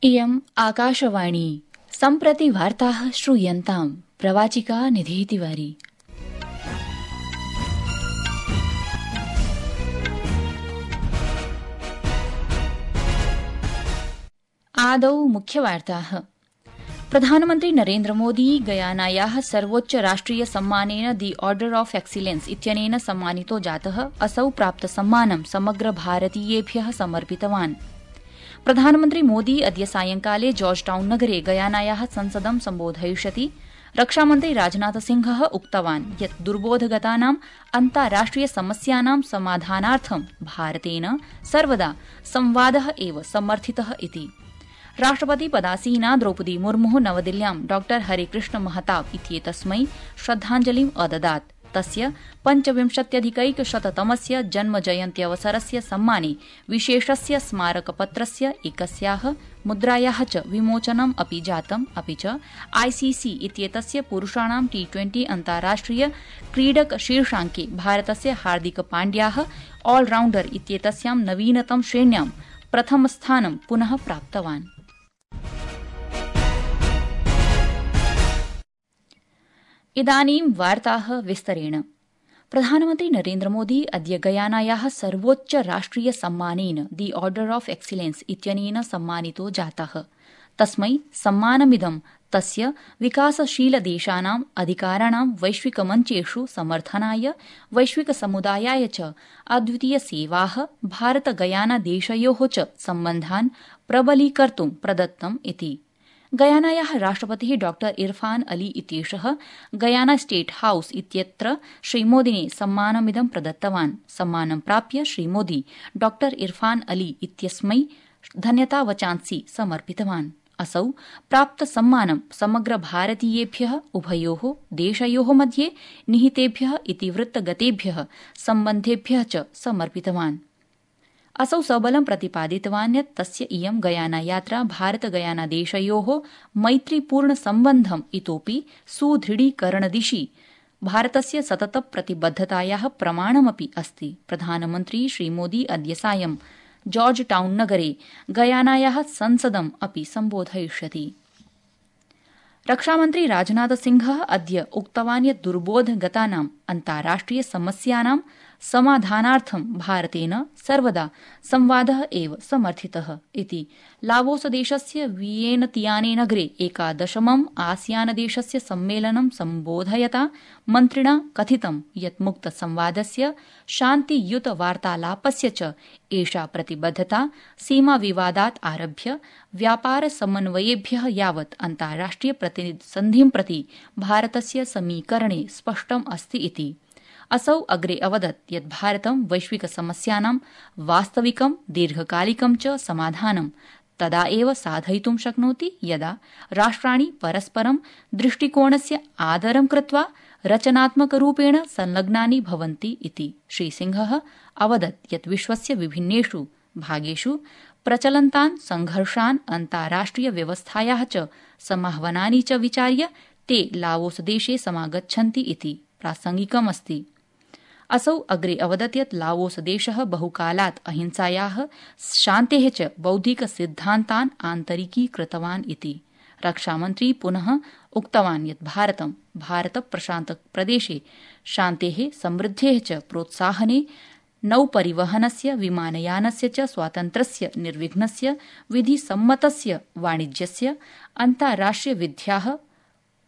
इयम् आकाशवाणी सम्प्रति वार्ताः श्रूयन्ताम् प्रवाचिका निधिः तिवारी। आदौ मुख्यवार्ताः। प्रधानमन्त्री नरेन्द्र मोदी गयानायाः सर्वोच्च राष्ट्रिय सम्मानेन दि ऑर्डर ऑफ एक्सीलेंस इत्यनेन सम्मानितो जातः। असौ प्राप्तसम्मानं समग्र भारतीयेभ्यः समर्पितवान्। प्रधानमन्त्री मोदी अद्य सायंकाले जॉर्ज टाउन नगरे गयानायाः संसदं सम्बोधयिष्यति। रक्षामन्त्री राजनाथसिंहः उक्तवान् यत् दुर्बोधगतानां अन्ताराष्ट्रिय समस्यानां समाधानार्थं भारतेन सर्वदा संवादः एव समर्थितः इति। राष्ट्रपति पदासीना द्रौपदी मुर्मुः नवदिल्ल्यां डॉ हरेकृष्ण महताब इत्येतस्मै श्रद्धाञ्जलिम् अददात्। तस्य 25अधिकैकशततमस्य जन्मजयन्त्यवसरस्य सम्माने विशेषस्य स्मारकपत्रस्य एकस्याः मुद्रायाः च विमोचनम् अपि जातम्। अपि च आईसीसी इत्येतस्य पुरुषाणां T20 अन्ताराष्ट्रिय क्रीडक शीर्षाङ्के भारतस्य हार्दिक पाण्ड्याः ऑलराउण्डर इत्येतस्यां नवीनतम श्रेण्यां प्रथमस्थानं पुनः प्राप्तवान्। इदानीं वार्ताः विस्तरेण। प्रधानमन्त्री नरेन्द्र मोदी अद्य गयानायाः सर्वोच्च राष्ट्रिय सम्मानेन दि ऑर्डर ऑफ एक्सीलेंस इत्यनेन सम्मानितो जातः। तस्मै सम्मानमिदं तस्य विकासशीलदेशानाम् अधिकाराणां वैश्विकमञ्चेषु समर्थनाय वैश्विकसमुदायाय च अद्वितीयसेवाः भारत गयाना देशयोः च सम्बन्धान् प्रबलीकर्तुं प्रदत्तम् इति। गयानायाः राष्ट्रपतिः डॉ इरफान अली इत्येषः गयाना स्टेट हाउस इत्यत्र श्रीमोदिने सम्मानमिदं प्रदत्तवान्। सम्मानं प्राप्य श्रीमोदी डॉ इरफान अली इत्यस्मै धन्यतावचांसि समर्पितवान्। असौ प्राप्तसम्मानं समग्र भारतीयेभ्यः उभयोः देशयोः मध्ये निहितेभ्यः इतिवृत्तगतेभ्यः सम्बन्धेभ्यः च समर्पितवान्। असौ सबलं प्रतिपादितवान् यत् तस्य इयं गयाना यात्रा भारत गयाना देशयोः मैत्रीपूर्ण सम्बन्धम् इतोपि सुदृढीकरणदिशि भारतस्य सतत प्रतिबद्धतायाः प्रमाणमपि अस्ति। प्रधानमन्त्री श्रीमोदी अद्य सायं जॉर्ज टाउन नगरे गयानायाः संसदम् अपि सम्बोधयिष्यति। रक्षामन्त्री राजनाथसिंहः अद्य उक्तवान् यत् दुर्बोधगतानाम् अन्ताराष्ट्रिय समस्यानां समाधानार्थं भारतेन सर्वदा संवादः एव समर्थितः इति। लावोसदेशस्य वियेनतियाने नगरे 11मम् आसियानदेशस्य सम्मेलनं सम्बोधयता मन्त्रिणा कथितं यत् मुक्तसंवादस्य शान्तियुतवार्तालापस्य च एषा प्रतिबद्धता सीमाविवादात् आरभ्य व्यापारसमन्वयेभ्यः यावत् अन्ताराष्ट्रिय प्रतिसन्धिं प्रति भारतस्य समीकरणे स्पष्टम् अस्ति इति। असौ अग्रे अवदत् यत् भारतं वैश्विकसमस्यानां वास्तविकं दीर्घकालिकं च समाधानं तदा एव साधयितुं शक्नोति यदा राष्ट्राणि परस्परं दृष्टिकोणस्य आदरं कृत्वा रचनात्मकरूपेण संलग्नानि भवन्ति इति। श्रीसिंहः अवदत् यत् विश्वस्य विभिन्नेषु भागेषु प्रचलन्तान् संघर्षान् अन्ताराष्ट्रिय व्यवस्थायाः च समाह्वानानि च विचार्य ते लावोसदेशे समागच्छन्ति इति प्रासंगिकमस्ति। असौ अग्रे अवदत् यत् लावोसदेशः बहुकालात् अहिंसायाः शान्तेः च बौद्धिकसिद्धान्तान् आन्तरिकीकृतवान् इति। रक्षामन्त्री पुनः उक्तवान् यत् भारतं भारतप्रशान्तप्रदेशे शान्तेः समृद्धेः च प्रोत्साहने नौपरिवहनस्य विमानयानस्य च स्वातन्त्र्यस्य निर्विघ्नस्य विधिसम्मतस्य वाणिज्यस्य अन्ताराष्ट्रियविध्याः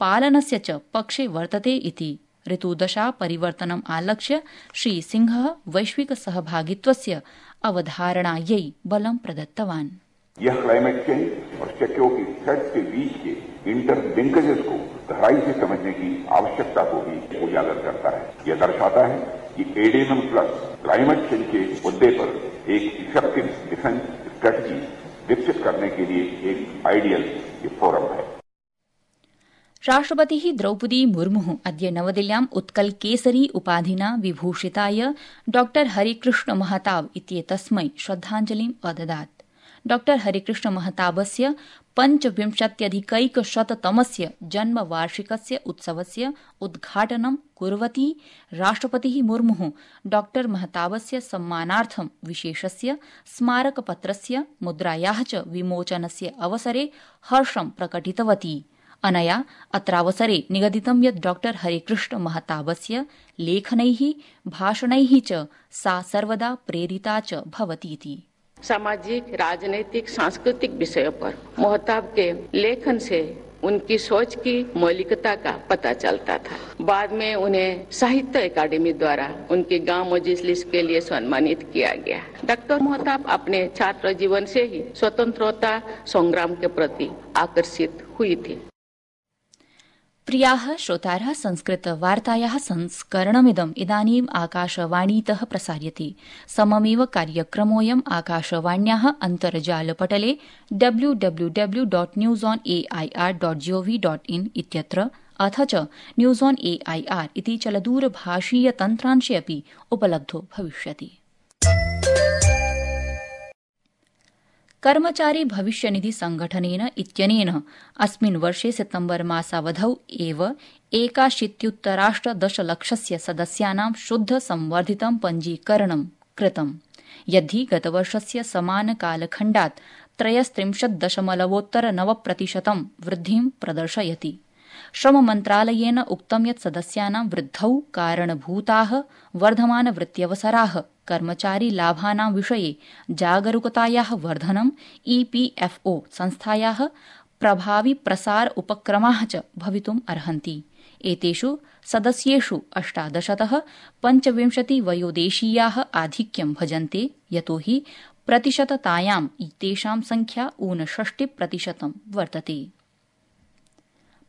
पालनस्य च पक्षे वर्तते इति। ऋतुदशा परिवर्तनम् आलक्ष्य श्रीसिंहः वैश्विक सहभागित्वस्य अवधारणायै बलं प्रदत्तवान्। यह क्लाइमेट चेंज और सिक्योरिटी थ्रेट्स के बीच के इंटरलिंकेजेस को गहराई से समझने की आवश्यकता को भी उजागर करता है। यह दर्शाता है कि एडेनम प्लस क्लाइमेट चेंज के मुद्दे पर एक इफेक्टिव डिफेंस स्ट्रेटजी विकसित करने के लिए एक आइडियल फोरम है। राष्ट्रपतिः द्रौपदी मुर्मुः अद्य नवदिल्ल्याम् उत्कल केसरी उपाधिना विभूषिताय डॉ हरेकृष्ण महताब इत्येतस्मै श्रद्धाञ्जलिम् अददात्। डॉ हरिकृष्ण महताबस्य 25अधिकैकशततमस्य जन्मवार्षिकस्य उत्सवस्य उद्घाटनं कुर्वती राष्ट्रपतिः मुर्मुः डॉ महताबस्य सम्मानार्थं विशेषस्य स्मारकपत्रस्य मुद्रायाः च विमोचनस्य अवसरे हर्षं प्रकटितवती। अनया अत्रावसरे निगदितं यत् डॉ हरिकृष्ण महताबस्य लेखनैः भाषणैः च सा सर्वदा प्रेरिता च भवतीति। सामाजिक, राजनीतिक, सांस्कृतिक विषयों पर मोहताब के लेखन से उनकी सोच की मौलिकता का पता चलता था। बाद में उन्हें साहित्य अकादमी द्वारा उनके गांव मजलिस के लिए सम्मानित किया गया। डॉक्टर मोहताब अपने छात्र जीवन से ही स्वतंत्रता संग्राम के प्रति आकर्षित हुई थी। प्रियाः श्रोतारः, संस्कृतवार्तायाः संस्करणमिदम् इदानीम् आकाशवाणीतः प्रसार्यते। सममेव कार्यक्रमोऽयम् आकाशवाण्याः अन्तर्जालपटले www.newsonair.gov.in इत्यत्र अथ च न्यूज़ ऑन AIR इति चलदूरभाषीयतन्त्रांशे अपि उपलब्धो भविष्यति। कर्मचारी भविष्यनिधि संघटनेन इत्यनेन अस्मिन् वर्षे सितम्बर मासावधौ एव 81,10,00,000 सदस्यानां शुद्ध संवर्धितं पञ्जीकरणं कृतम्, यद्धि गतवर्षस्य समानकालखण्डात् 33.9% वृद्धिं प्रदर्शयति। श्रममन्त्रालयेन उक्तं यत् सदस्यानां वृद्धौ कारणभूताः वर्धमानवृत्त्यवसराः, कर्मचारी लाभानां विषये जागरूकतायाः वर्धनं, EPFO संस्थायाः प्रभावी प्रसार उपक्रमाः च भवितुम् अर्हन्ति। एतेषु सदस्येषु 18तः 25 वयोदेशीयाः आधिक्यं भजन्ते, यतोहि प्रतिशततायां तेषां संख्या 59% वर्तते।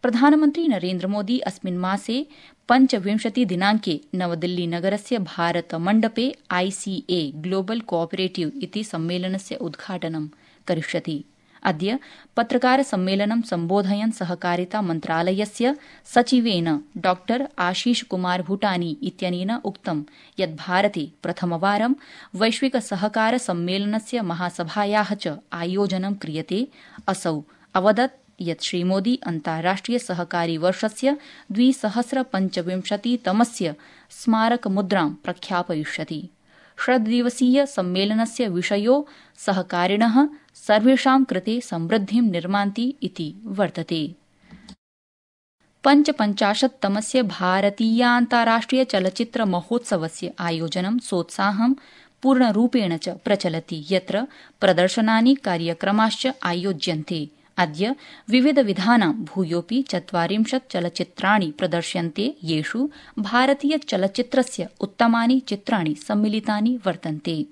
प्रधानमन्त्री नरेन्द्रमोदी अस्मिन् मासे 25 दिनाङ्के नवदिल्लीनगरस्य भारतमण्डपे ICA ग्लोबल कोऑपरेटिव इति सम्मेलनस्य उद्घाटनं करिष्यति। अद्य पत्रकारसम्मेलनं सम्बोधयन् सहकारिता मन्त्रालयस्य सचिवेन डॉ आशीष कुमार भूटानी इत्यनेन उक्तं यत् भारते प्रथमवारं वैश्विक सहकार सम्मेलनस्य महासभायाः च आयोजनं क्रियते। असौ अवदत् यत् श्रीमोदी अन्ताराष्ट्रिय सहकारी वर्षस्य 2025तमस्य स्मारकमुद्रां प्रख्यापयिष्यति। षड्दिवसीय सम्मेलनस्य विषयो सहकारिणः सर्वेषां कृते समृद्धिं निर्मान्ति इति वर्तते। 55तमस्य भारतीयान्ताराष्ट्रिय चलच्चित्र महोत्सवस्य आयोजनं सोत्साहं पूर्णरूपेण च प्रचलति, यत्र प्रदर्शनानि कार्यक्रमाश्च आयोज्यन्ते। अद्य विविधविधानां भूयोऽपि 40 चलच्चित्राणि प्रदर्श्यन्ते, येषु भारतीयचलच्चित्रस्य उत्तमानि चित्राणि सम्मिलितानि वर्तन्ते।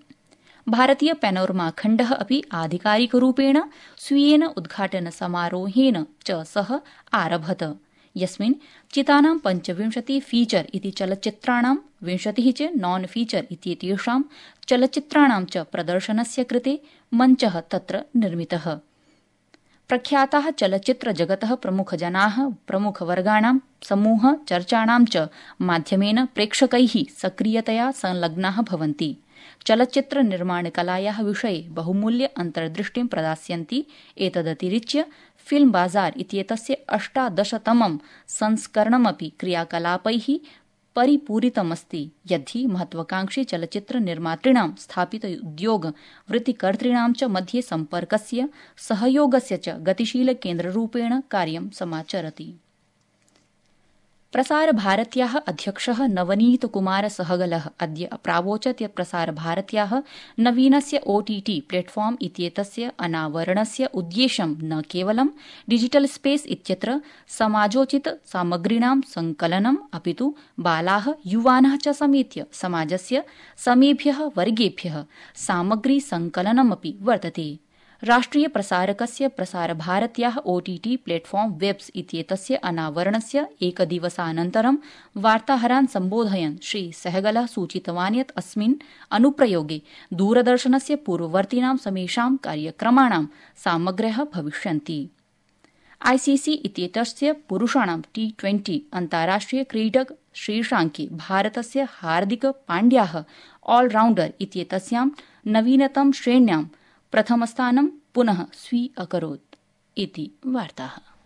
भारतीय पैनोरमा खण्डः अपि आधिकारिकरूपेण स्वीयेन उद्घाटनसमारोहेन च सह आरभत, यस्मिन् चितानां 25 फीचर इति चलच्चित्राणां 20 च नॉन फीचर इत्येतेषां चलच्चित्राणां च प्रदर्शनस्य कृते मञ्चः तत्र निर्मितः। प्रख्याताः चलच्चित्रजगतः प्रमुखजनाः प्रमुखवर्गाणां समूह चर्चाणां च माध्यमेन प्रेक्षकैः सक्रियतया संलग्नाः भवन्ति। चलच्चित्र निर्माणकलायाः विषये बहुमूल्य अन्तर्दृष्टिं प्रदास्यन्ति। एतदतिरिच्य फिल्म बाजार इत्येतस्य 18तमं संस्करणमपि क्रियाकलापैः परिपूरितमस्ति, यद्धि महत्वाकांक्षी चलच्चित्र निर्मातृणां स्थापित उद्योग वृत्तिकर्तॄणां च मध्ये सम्पर्कस्य सहयोगस्य च गतिशील केन्द्ररूपेण कार्यं समाचरति। प्रसारभारत्याः अध्यक्षः नवनीत कुमार सहगलः अद्य प्रावोचत् यत् प्रसारभारत्याः नवीनस्य OTT प्लेटफॉर्म इत्येतस्य अनावरणस्य उद्देश्यं न केवलं डिजिटल स्पेस इत्यत्र समाजोचित सामग्रीणां संकलनम्, अपितु बालाः युवानः च समेत्य समाजस्य समेभ्यः वर्गेभ्यः सामग्री संकलनमपि वर्तते। राष्ट्रिय प्रसारकस्य प्रसारभारत्याः OTT प्लेटफॉर्म वेब्स इत्येतस्य अनावरणस्य एकदिवसानन्तरं वार्ताहरान् सम्बोधयन् श्री सहगलः सूचितवान् यत् अस्मिन् अनुप्रयोगे दूरदर्शनस्य पूर्ववर्तीनां समेषां कार्यक्रमाणां सामग्र्यः भविष्यन्ति। ICC इत्येतस्य पुरुषाणां T20 अन्ताराष्ट्रिय क्रीडक शीर्षाङ्के भारतस्य हार्दिक पाण्ड्याः ऑलराउण्डर इत्येतस्यां नवीनतम श्रेण्यां प्रथमस्थानं पुनः स्वीकरोत् इति वार्ताः।